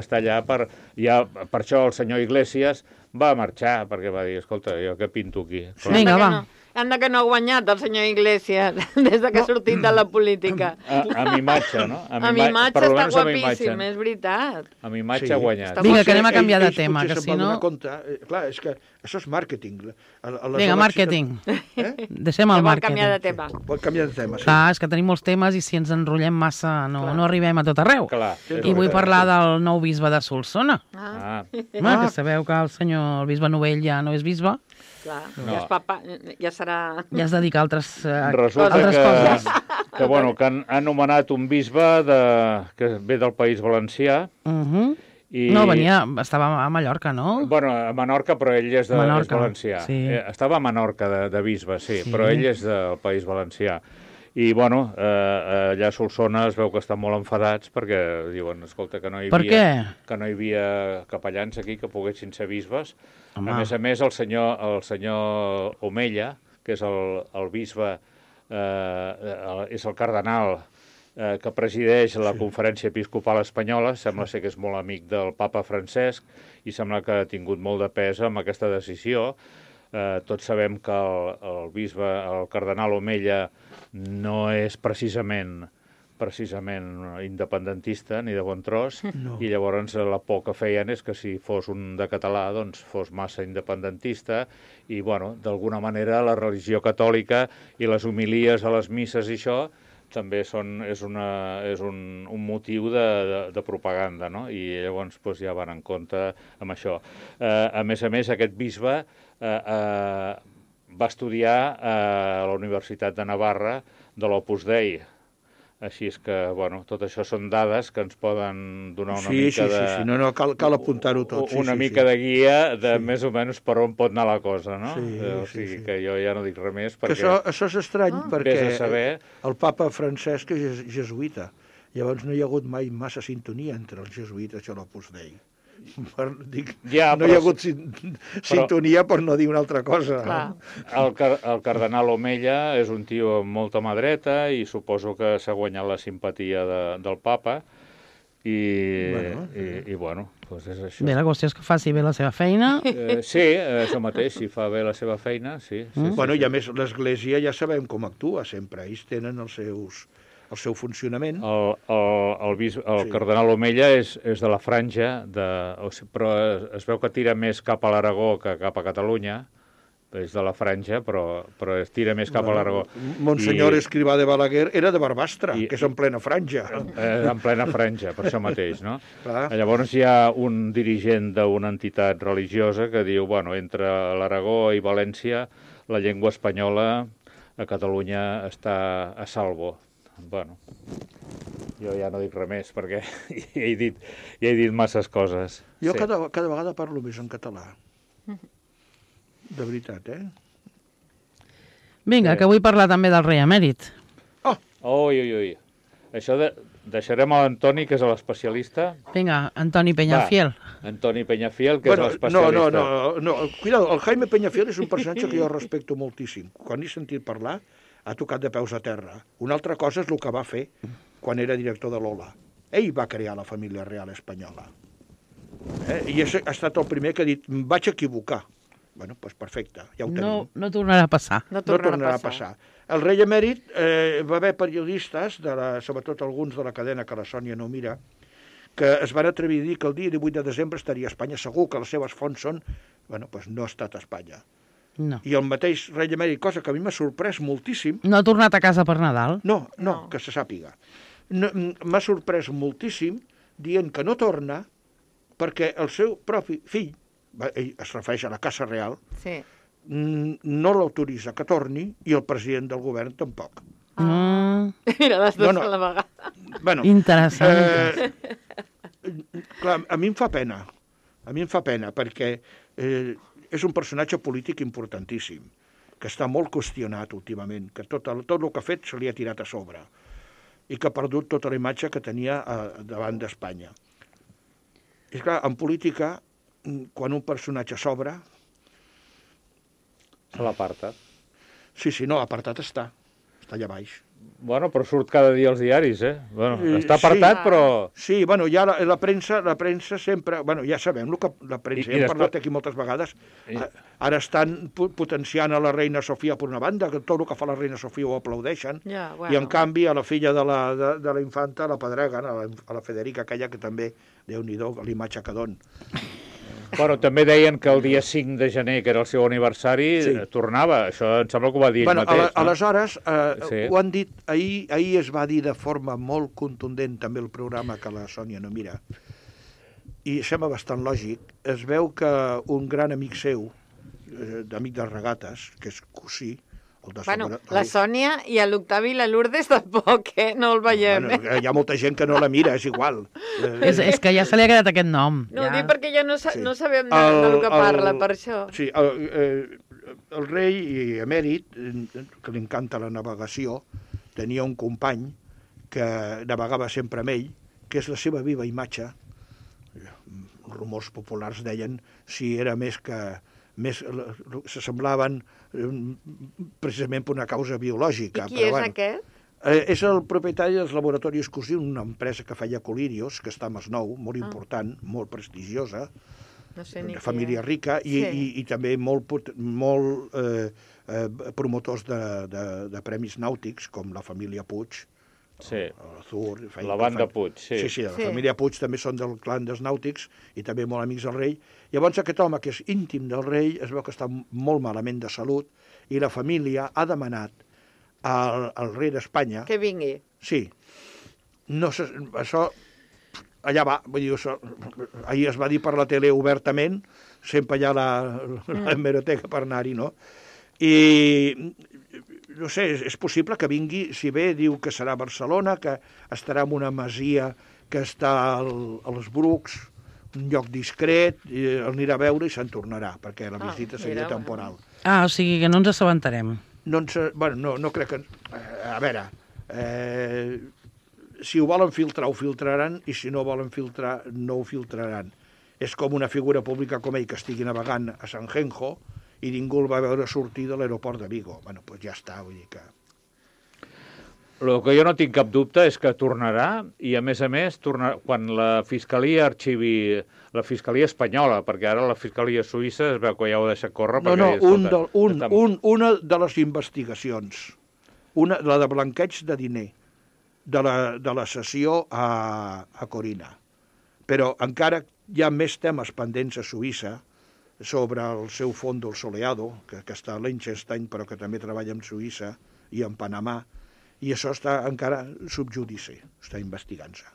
està allà per... Per això el senyor Iglesias va marxar, perquè va dir, escolta, jo què pinto aquí? Vinga, va. Anda que no ha guanyat el senyor Iglesias des que ha sortit de la política. Amb imatge, no? Amb imatge està guapíssim, és veritat. Amb imatge ha guanyat. Vinga, que anem a canviar de tema, que si no... Clar, és que això és màrqueting. Vinga, màrqueting. Deixem el màrqueting. Vol canviar de tema. sí. Clar, és que tenim molts temes i si ens enrotllem massa no arribem a tot arreu. I vull parlar del nou bisbe de Solsona. Que sabeu que el bisbe Novell ja no és bisbe. Clar, ja serà... Ja es dedica a altres Resulta coses. Que han nomenat un bisbe que ve del País Valencià. Estava a Mallorca, no? Bueno, a Menorca, però ell és valencià. Estava a Menorca de bisbe, però ell és del País Valencià. I, allà a Solsona es veu que estan molt enfadats perquè diuen, escolta, que no hi havia capellans aquí que poguessin ser bisbes. A més, el senyor Omella, que és el bisbe, és el cardenal que presideix la Conferència Episcopal Espanyola, sembla ser que és molt amic del papa Francesc i sembla que ha tingut molt de pes amb aquesta decisió. Tots sabem que el cardenal Omella no és precisament independentista ni de bon tros, i llavors la por que feien és que si fos un de català doncs fos massa independentista i, d'alguna manera la religió catòlica i les homilies a les misses i això també és un motiu de propaganda, no? I llavors ja van en compte amb això. A més, aquest bisbe va estudiar a la Universitat de Navarra de l'Opus Dei. Així és que, tot això són dades que ens poden donar una mica de... Sí, no, cal apuntar-ho tot. Una mica de guia de més o menys per on pot anar la cosa, no? O sigui que jo ja no dic res més perquè... Això és estrany, perquè el papa Francesc és jesuïta. Llavors no hi ha hagut mai massa sintonia entre els jesuïtes i l'Opus Dei. No hi ha hagut sintonia per no dir una altra cosa. El cardenal Omella és un tio amb molta mà dreta i suposo que s'ha guanyat la simpatia del papa i és això. Bé, la qüestió és que faci bé la seva feina. Sí, això mateix, si fa bé la seva feina, sí. I a més l'Església ja sabem com actua sempre, ells tenen el seu funcionament. El cardenal Omella és de la franja, però es veu que tira més cap a l'Aragó que cap a Catalunya. És de la franja, però es tira més cap a l'Aragó. Monsenyor Escrivà de Balaguer era de Barbastre, que és en plena franja. En plena franja, per això mateix, no? Llavors hi ha un dirigent d'una entitat religiosa que diu, entre l'Aragó i València, la llengua espanyola a Catalunya està a salvo. Jo ja no dic res més, perquè ja he dit masses coses. Jo cada vegada parlo més en català. De veritat, Vinga, que vull parlar també del rei emèrit. Ui. Això deixarem a l'Antoni, que és l'especialista. Vinga, Antoni Peñafiel. Antoni Peñafiel, que és l'especialista. No, cuidado, el Jaime Peñafiel és un personatge que jo respecto moltíssim. Quan he sentit parlar, ha tocat de peus a terra. Una altra cosa és el que va fer quan era director de l'Ola. Ell va crear la família real espanyola. I ha estat el primer que ha dit, vaig equivocar. Doncs perfecte, ja ho tenim. No tornarà a passar. No tornarà a passar. El rei emèrit va haver periodistes, sobretot alguns de la cadena que la Sònia no mira, que es van atrevir a dir que el dia 18 de desembre estaria a Espanya. Segur que les seves fonts són... no ha estat a Espanya. No. I el mateix rei emèrit, cosa que a mi m'ha sorprès moltíssim... No ha tornat a casa per Nadal? No, que se sàpiga. M'ha sorprès moltíssim dient que no torna perquè el seu propi fill, ell es refereix a la Casa Real, no l'autoritza que torni i el president del govern tampoc. Mira, les dues a la vegada. Interessant. Clar, a mi em fa pena, perquè és un personatge polític importantíssim, que està molt qüestionat últimament, que tot el que ha fet se li ha tirat a sobre i que ha perdut tota la imatge que tenia davant d'Espanya. I clar, en política, quan un personatge s'obre... Se l'aparta. Sí, no, apartat està allà baix. Però surt cada dia als diaris, està apartat, però... Sí, ja la premsa sempre... Ja sabem el que la premsa, hem parlat aquí moltes vegades, ara estan potenciant a la reina Sofia per una banda, que tot el que fa la reina Sofia ho aplaudeixen, i en canvi a la filla de la infanta la pedreguen, a la Federica, aquella que també, Déu-n'hi-do, l'imatge que don. També deien que el dia 5 de gener, que era el seu aniversari, tornava. Això em sembla que ho va dir ell mateix. Aleshores, ho han dit, ahir es va dir de forma molt contundent també el programa que la Sònia no mira, i sembla bastant lògic. Es veu que un gran amic seu, d'amic de regates, que és cosí, la Sònia i l'Octavi i la Lourdes tampoc, no el veiem. Hi ha molta gent que no la mira, és igual. És que ja se li ha quedat aquest nom. No, dic perquè ja no sabem del que parla, per això. Sí, el rei emèrit, que li encanta la navegació, tenia un company que navegava sempre amb ell, que és la seva viva imatge. Rumors populars deien si era més s'assemblaven precisament per una causa biològica. I qui és aquest? És el propietari dels laboratoris Cosí, una empresa que feia colirios, que està a Masnou, molt important, molt prestigiosa, una família rica, i també molt promotors de premis nàutics, com la família Puig, la banda Puig. Sí, la família Puig també són del clan dels nàutics i també molt amics del rei. Llavors aquest home, que és íntim del rei, es veu que està molt malament de salut i la família ha demanat al rei d'Espanya... Que vingui. Sí. No sé, això... Allà va, vull dir, això, ahir es va dir per la tele obertament, sempre hi ha la hemeroteca per anar-hi, no? I, no sé, és possible que vingui, si bé diu que serà a Barcelona, que estarà en una masia que està als Brucs, un lloc discret, i el anirà a veure i se'n tornarà, perquè la visita seria temporal. O sigui que no ens assabentarem. Bueno, no crec que... A veure... Si ho volen filtrar, ho filtraran, i si no volen filtrar, no ho filtraran. És com una figura pública com ell que estigui navegant a Sanjenjo i ningú el va veure sortir de l'aeroport de Vigo. Bueno, doncs ja està, vull dir que... El que jo no tinc cap dubte és que tornarà, i a més, quan la Fiscalia arxivi, la Fiscalia espanyola, perquè ara la Fiscalia suïssa es veu que ja ho ha deixat córrer... Una de les investigacions, la de blanqueig de diner, de la sessió a Corina. Però encara hi ha més temes pendents a Suïssa sobre el seu fondo, el Soleado, que està a Liechtenstein, però que també treballa en Suïssa i en Panamà, i això està encara subjudici, està investigant-se.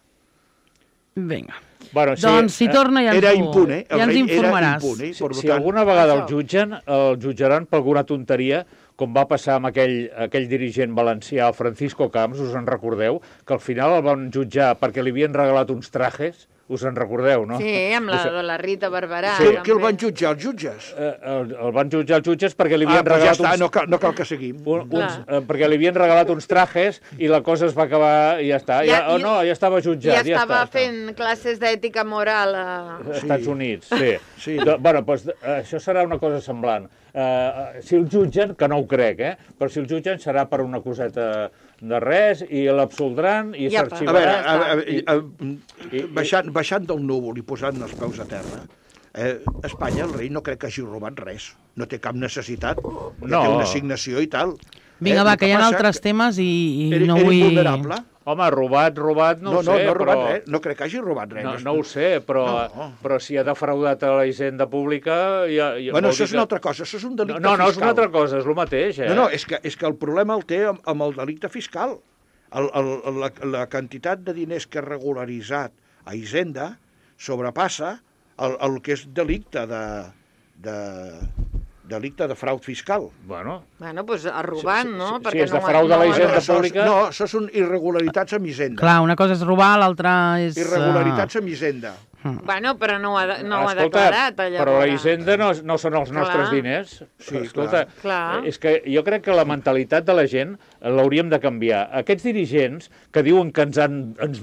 Vinga. Bueno, doncs si torna ja era impune, ja ens informaràs. Si alguna vegada el jutjaran per alguna tonteria, com va passar amb aquell dirigent valencià, Francisco Camps, us en recordeu? Que al final el van jutjar perquè li havien regalat uns trajes, us en recordeu, no? Sí, amb la Rita Barberà. Sí, qui el van jutjar, els jutges? El van jutjar els jutges perquè li havien regalat ja està, no cal que seguim. Perquè li havien regalat uns trajes i la cosa es va acabar i ja està. Ja estava jutjat. Ja estava fent classes d'ètica moral als Estats Units, sí. Bueno, doncs això serà una cosa semblant. Si el jutgen, que no ho crec, però si el jutgen serà per una coseta de res i l'absoldran i s'arxivarà. A veure, baixant del núvol i posant els peus a terra, Espanya, el rei, no crec que hagi robat res. No té cap necessitat, té una assignació i tal. Vinga, va, que hi ha altres temes i no vull... Era invulnerable? Home, robat, no ho sé, no ha robat res. No crec que hagi robat res. No ho sé, però si ha defraudat a la hisenda pública... Bueno, això és una altra cosa, això és un delicte fiscal. No és una altra cosa, és el mateix. No, és que el problema el té amb el delicte fiscal. La quantitat de diners que ha regularitzat a Hisenda sobrepassa el que és delicte de frau fiscal. Bueno, doncs robant, no? Si és de frau de la hisenda pública... No, això són irregularitats amb Hisenda. Clar, una cosa és robar, l'altra és... Irregularitats amb Hisenda. Bueno, però no ho ha declarat, llavors. Però la hisenda no són els nostres diners. Sí, escolta, és que jo crec que la mentalitat de la gent l'hauríem de canviar. Aquests dirigents que diuen que ens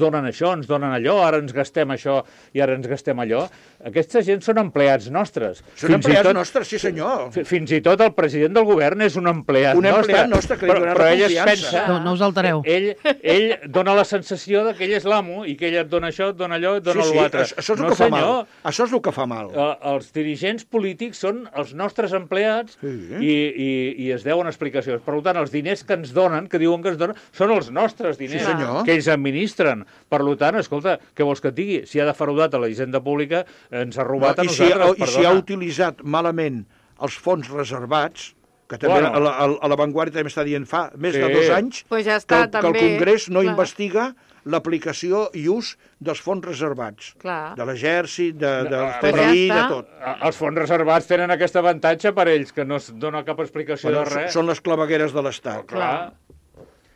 donen això, ens donen allò, ara ens gastem això i ara ens gastem allò, aquesta gent són empleats nostres. Són empleats nostres, sí senyor. Fins i tot el president del govern és un empleat nostre. Un empleat nostre que li donarà però ell confiança. es pensa... No us altereu. Ell dona la sensació que ell és l'amo i que ell et dona això, et dona allò, et dona l'altre. Això és el que fa mal. Això és el que fa mal. Els dirigents polítics són els nostres empleats i es deuen explicacions. Per tant, els diners que ens donen, que diuen que ens donen, són els nostres diners, que ells administren. Per tant, escolta, què vols que et digui? Si ha defraudat a la hisenda pública, ens ha robat a nosaltres, perdona. I si ha utilitzat malament els fons reservats, que també a la Vanguardia també està dient fa més de 2 anys que el Congrés no investiga l'aplicació i ús dels fons reservats. De l'exèrcit, del TNI, de tot. Els fons reservats tenen aquest avantatge per ells, que no es dona cap explicació de res. Són les clavegueres de l'Estat.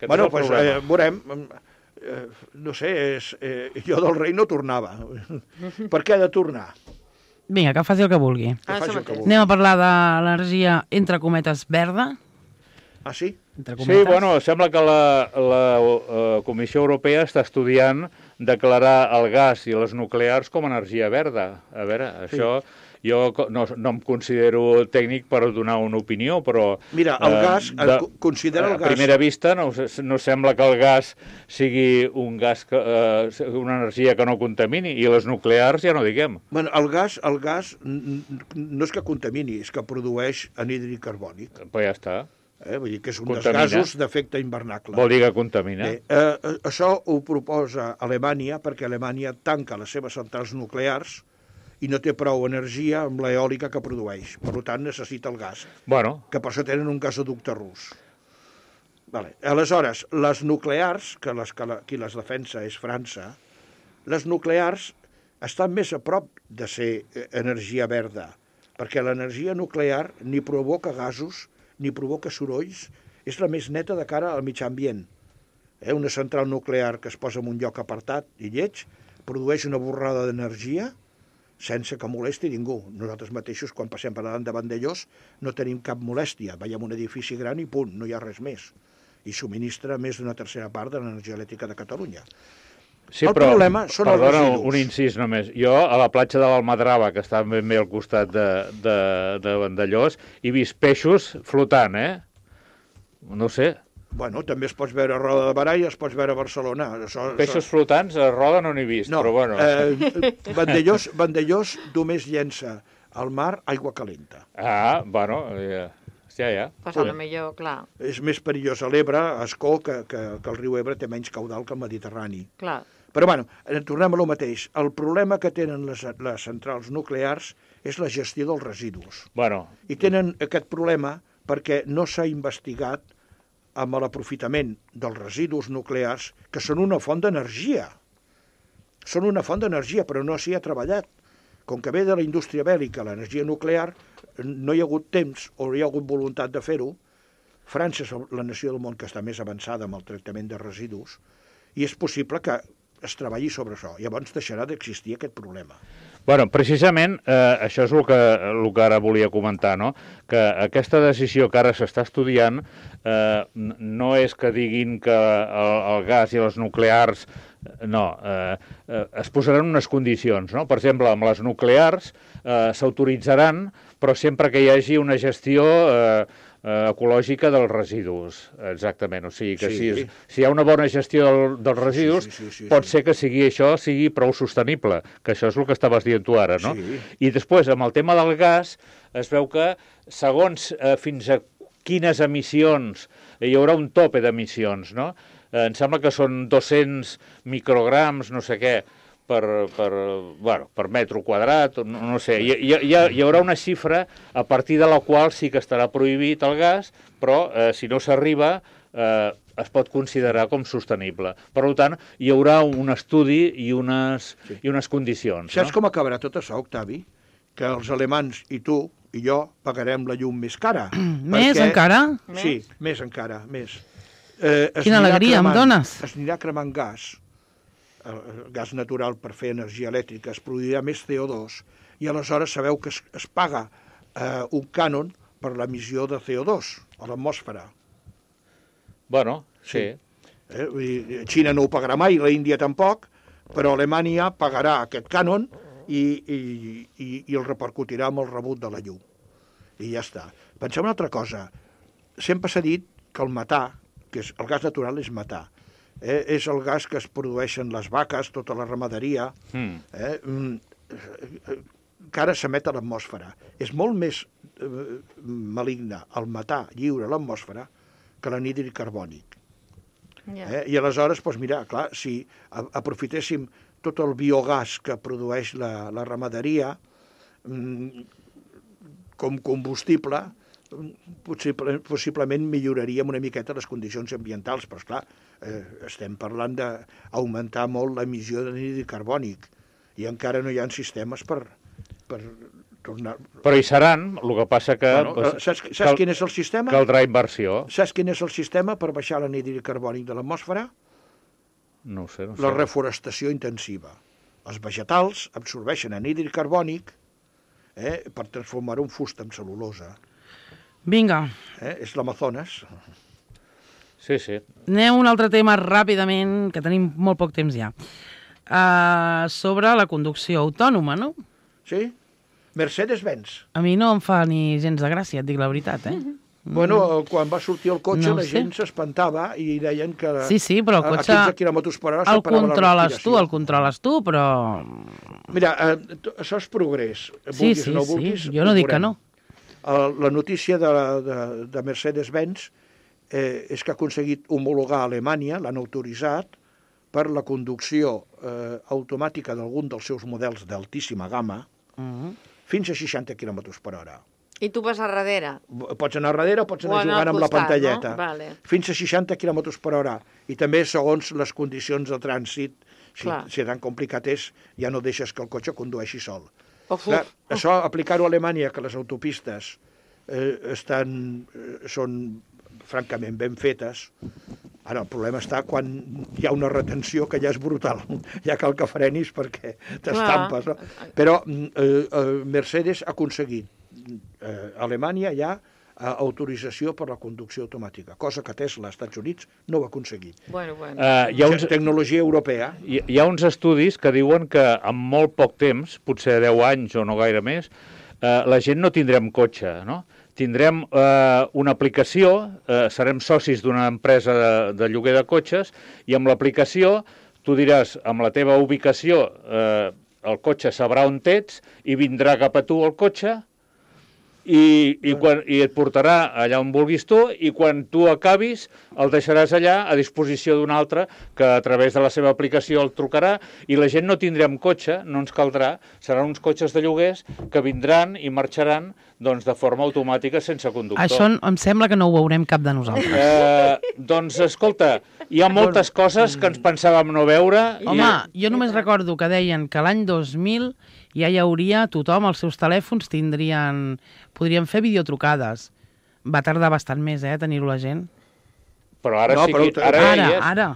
Bueno, doncs veurem. No sé, jo del rei no tornava. Per què ha de tornar? Vinga, que faci el que vulgui. Anem a parlar de l'energia, entre cometes, verda. Ah, sí? Sí, bueno, sembla que la Comissió Europea està estudiant declarar el gas i les nuclears com a energia verda. A veure, això... Jo no em considero tècnic per donar una opinió, però... Mira, el gas, considera el gas... A primera vista no sembla que el gas sigui una energia que no contamini, i les nuclears ja no diguem. Bueno, el gas no és que contamini, és que produeix anhídrid carbònic. Pues ja està. Vull dir que és un dels gasos d'efecte hivernacle. Vol dir que contamina. Això ho proposa Alemanya, perquè Alemanya tanca les seves centrals nuclears i no té prou energia amb l'eòlica que produeix. Per tant, necessita el gas. Bueno. Que per això tenen un gasoducte rus. Vale. Aleshores, les nuclears, qui les defensa és França, les nuclears estan més a prop de ser energia verda, perquè l'energia nuclear ni provoca gasos, ni provoca sorolls, és la més neta de cara al mitjà ambient. Una central nuclear que es posa en un lloc apartat i lleig produeix una borrada d'energia sense que molesti ningú. Nosaltres mateixos, quan passem per davant de Vandellós, no tenim cap molèstia. Veiem un edifici gran i punt, no hi ha res més. I subministra més d'una tercera part de l'energia elèctrica de Catalunya. Sí, el però, problema són els residus. Un incís només. Jo, a la platja de l'Almadrava, que està ben bé al costat de Vandellós, he vist peixos flotant, No sé. Bueno, també es pots veure a Roda de Barà i es pots veure a Barcelona. Peixos flotants a Roda no n'he vist, no, però bueno. Vandellós només llença al mar aigua calenta. Bueno, ja. Pues a lo millor, clar. És més perillós a l'Ebre, a Escó, que el riu Ebre té menys caudal que el Mediterrani. Clar. Però bueno, tornem a lo mateix. El problema que tenen les centrals nuclears és la gestió dels residus. Bueno. I tenen aquest problema perquè no s'ha investigat amb l'aprofitament dels residus nuclears, que són una font d'energia. Són una font d'energia, però no s'hi ha treballat. Com que ve de la indústria bèl·lica, l'energia nuclear, no hi ha hagut temps o no hi ha hagut voluntat de fer-ho. França és la nació del món que està més avançada amb el tractament de residus i és possible que es treballi sobre això. Llavors deixarà d'existir aquest problema. Bueno, precisament això és el que ara volia comentar, no? Que aquesta decisió que ara s'està estudiant no és que diguin que el gas i les nuclears es posaran unes condicions, no? Per exemple, amb les nuclears s'autoritzaran, però sempre que hi hagi una gestió ecològica dels residus, exactament. O sigui que si hi ha una bona gestió dels residus, pot ser que això sigui prou sostenible, que això és el que estaves dient tu ara, no? Sí. I després, amb el tema del gas, es veu que segons fins a quines emissions, hi haurà un tope d'emissions, no? Em sembla que són 200 micrograms, no sé què, per metre quadrat, no sé. Hi haurà una xifra a partir de la qual sí que estarà prohibit el gas, però si no s'arriba es pot considerar com sostenible. Per tant, hi haurà un estudi i unes condicions. Saps com acabarà tot això, Octavi? Que els alemans i tu i jo pagarem la llum més cara. Més encara? Sí, més encara, més. Quina alegria em dones. Es anirà cremant gas, el gas natural per fer energia elèctrica, es produirà més CO2 i aleshores sabeu que es paga un cànon per l'emissió de CO2 a l'atmosfera. Bueno, sí. Xina no ho pagarà mai, l'Índia tampoc, però Alemanya pagarà aquest cànon i el repercutirà amb el rebut de la llum. I ja està. Pensem una altra cosa. Sempre s'ha dit que el metà, que el gas natural és metà, és el gas que es produeixen les vaques, tota la ramaderia, que ara s'emet a l'atmosfera. És molt més maligne el metà lliure a l'atmosfera que l'anhídrid carbònic. I aleshores, doncs mira, clar, si aprofitéssim tot el biogàs que produeix la ramaderia com combustible, possiblement milloraríem una miqueta les condicions ambientals, però esclar, estem parlant d'augmentar molt l'emissió d'anhídrid carbònic i encara no hi ha sistemes per tornar... Però hi seran, el que passa que... Saps quin és el sistema? Caldrà inversió. Saps quin és el sistema per baixar l'anhídrid carbònic de l'atmosfera? No ho sé. La reforestació intensiva. Els vegetals absorbeixen anhídrid carbònic per transformar-ho en fusta, en cel·lulosa. Vinga. És l'Amazones. Sí. Anem a un altre tema ràpidament, que tenim molt poc temps ja. Sobre la conducció autònoma, no? Sí. Mercedes-Benz. A mi no em fa ni gens de gràcia, et dic la veritat, Bueno, quan va sortir el cotxe la gent s'espantava i deien que sí, però el cotxe a 15 km per hora el controles tu, però... Mira, això és progrés. Sí, jo no dic que no. La notícia de Mercedes-Benz és que ha aconseguit homologar a Alemanya, l'han autoritzat, per la conducció automàtica d'algun dels seus models d'altíssima gamma fins a 60 km per hora. I tu vas a darrere? Pots anar a darrere o pots anar jugant amb la pantalleta. No? Vale. Fins a 60 km per hora. I també segons les condicions de trànsit, si tan complicat és, ja no deixes que el cotxe condueixi sol. Clar, això, aplicar-ho a Alemanya, que les autopistes són francament ben fetes. Ara, el problema està quan hi ha una retenció que ja és brutal. Ja cal que frenis perquè t'estampes. No? Però Mercedes ha aconseguit a Alemanya ja autorització per la conducció automàtica, cosa que Tesla als Estats Units no ho ha aconseguit. Hi ha tecnologia europea. Hi ha uns estudis que diuen que en molt poc temps, potser 10 anys o no gaire més, la gent no tindrem cotxe, no? Tindrem una aplicació, serem socis d'una empresa de lloguer de cotxes, i amb l'aplicació tu diràs, amb la teva ubicació, el cotxe sabrà on ets i vindrà cap a tu el cotxe i et portarà allà on vulguis tu, i quan tu acabis el deixaràs allà a disposició d'un altre que a través de la seva aplicació el trucarà, i la gent no tindrem cotxe, no ens caldrà, seran uns cotxes de lloguers que vindran i marxaran doncs, de forma automàtica sense conductor. Això em sembla que no ho veurem cap de nosaltres. Doncs escolta, hi ha moltes coses que ens pensàvem no veure. Home, jo només recordo que deien que l'any 2000 ja hi hauria, tothom, els seus telèfons podrien fer videotrucades. Va tardar bastant més, tenir-ho la gent. Però ara sí que... Ara,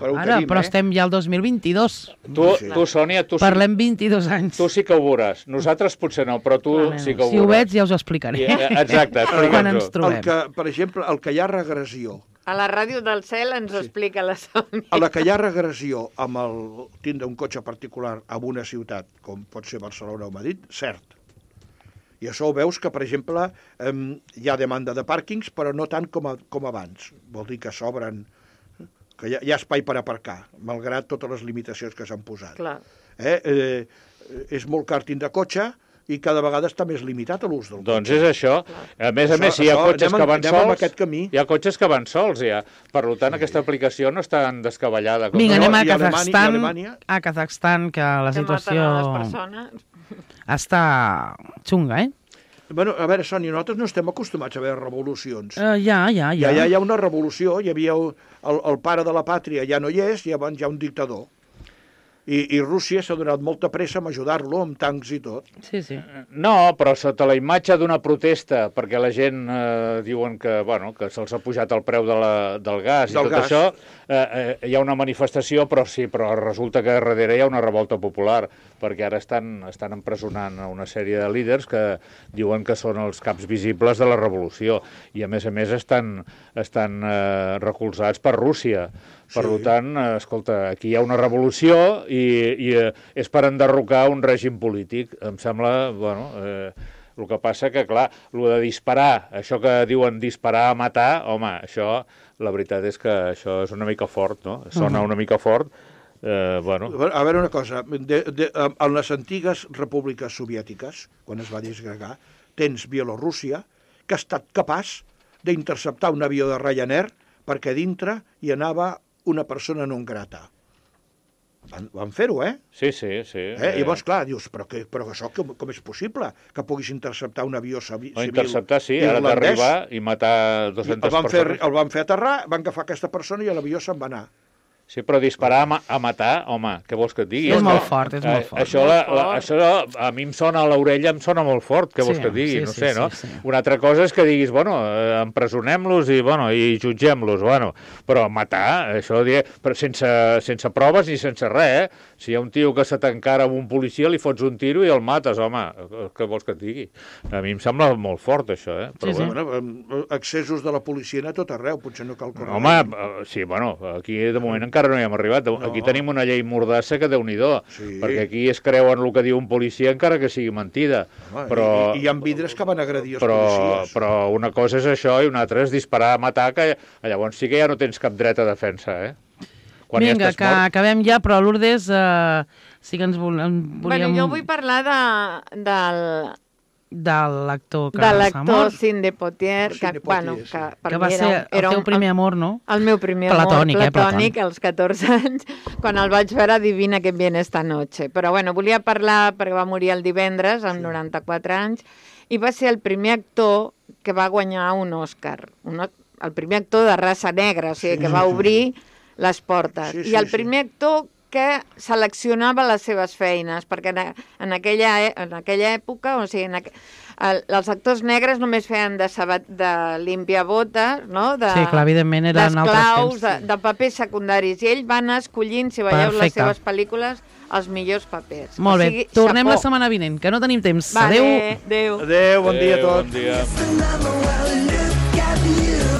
però estem ja al 2022. Tu, Sònia, parlem 22 anys. Tu sí que ho veuràs. Nosaltres potser no, però tu sí que ho veuràs. Si ho veig ja us ho explicaré. Exacte, quan ens trobem. Per exemple, el que hi ha regressió. A la ràdio del cel ens ho explica la Sònia. A la que hi ha regressió amb el tindre un cotxe particular en una ciutat, com pot ser Barcelona o Madrid, cert. I això ho veus que, per exemple, hi ha demanda de pàrquings, però no tant com abans. Vol dir que s'obren, que hi ha espai per aparcar, malgrat totes les limitacions que s'han posat. És molt car tindre cotxe i cada vegada està més limitat l'ús del cotxe. Doncs és això. A més, si hi ha cotxes que van sols, hi ha cotxes que van sols, ja. Per tant, aquesta aplicació no està tan descabellada. Vinga, anem a Kazakhstan, que la situació està xunga, Bueno, a veure, Sònia, nosaltres no estem acostumats a veure revolucions. Ja hi ha una revolució, hi havia el pare de la pàtria, ja no hi és, i llavors hi ha un dictador. I Rússia s'ha donat molta pressa a ajudar-lo amb tancs i tot. Sí. No, però sota la imatge d'una protesta, perquè la gent diuen que se'ls ha pujat el preu del gas i tot això, hi ha una manifestació, però resulta que darrere hi ha una revolta popular, perquè ara estan empresonant una sèrie de líders que diuen que són els caps visibles de la revolució, i a més estan recolzats per Rússia. Per tant, escolta, aquí hi ha una revolució i és per enderrocar un règim polític. Em sembla, el que passa que, clar, el de disparar, això que diuen disparar a matar, home, això, la veritat és que això és una mica fort, no? Sona una mica fort. A veure una cosa, en les antigues repúbliques soviètiques, quan es va disgregar, tens Bielorússia, que ha estat capaç d'interceptar un avió de Ryanair perquè dintre hi anava una persona non grata. Van fer-ho, Sí. I llavors, clar, dius, però això com és possible? Que puguis interceptar un avió civil irlandès? Interceptar, sí, ara d'arribar i matar 200 persones. El van fer aterrar, van agafar aquesta persona i l'avió se'n va anar. Sí, però disparar a matar, home, què vols que et digui? És molt fort, és molt fort. Això a mi em sona a l'orella, em sona molt fort, què vols que et digui? No sé, no? Una altra cosa és que diguis, empresonem-los i jutgem-los, però matar, això però sense proves ni sense res, Si hi ha un tio que se t'encara amb un policia, li fots un tiro i el mates, home, què vols que et digui? A mi em sembla molt fort, això, Però, accessos de la policia a tot arreu, potser no cal córrer. Home, sí, aquí de moment encara no hi hem arribat. Aquí tenim una llei mordassa que Déu-n'hi-do, perquè aquí es creuen el que diu un policia encara que sigui mentida. I hi ha vidres que van agredir els policies. Però una cosa és això i una altra és disparar a matar, que llavors sí que ja no tens cap dret a defensa, Vinga, que acabem ja, però Lourdes sí que ens volíem... Jo vull parlar de l'actor que s'ha mort. Cindy Poitier, que va ser el teu primer amor, no? El meu primer amor platònic, als 14 anys, quan el vaig veure Adivina que viene esta noche. Però volia parlar, perquè va morir el divendres, amb 94 anys, i va ser el primer actor que va guanyar un Òscar. El primer actor de raça negra, o sigui, que va obrir les portes. I el primer actor que seleccionava les seves feines, perquè en aquella època, o sigui, els actors negres només feien de limpiabotes, no? Sí, clar, evidentment eren altres temps. De papers secundaris, i ell va anar escollint, si veieu les seves pel·lícules, els millors papers. Molt bé, tornem la setmana vinent, que no tenim temps. Adéu. Adéu, bon dia a tots. Bon dia.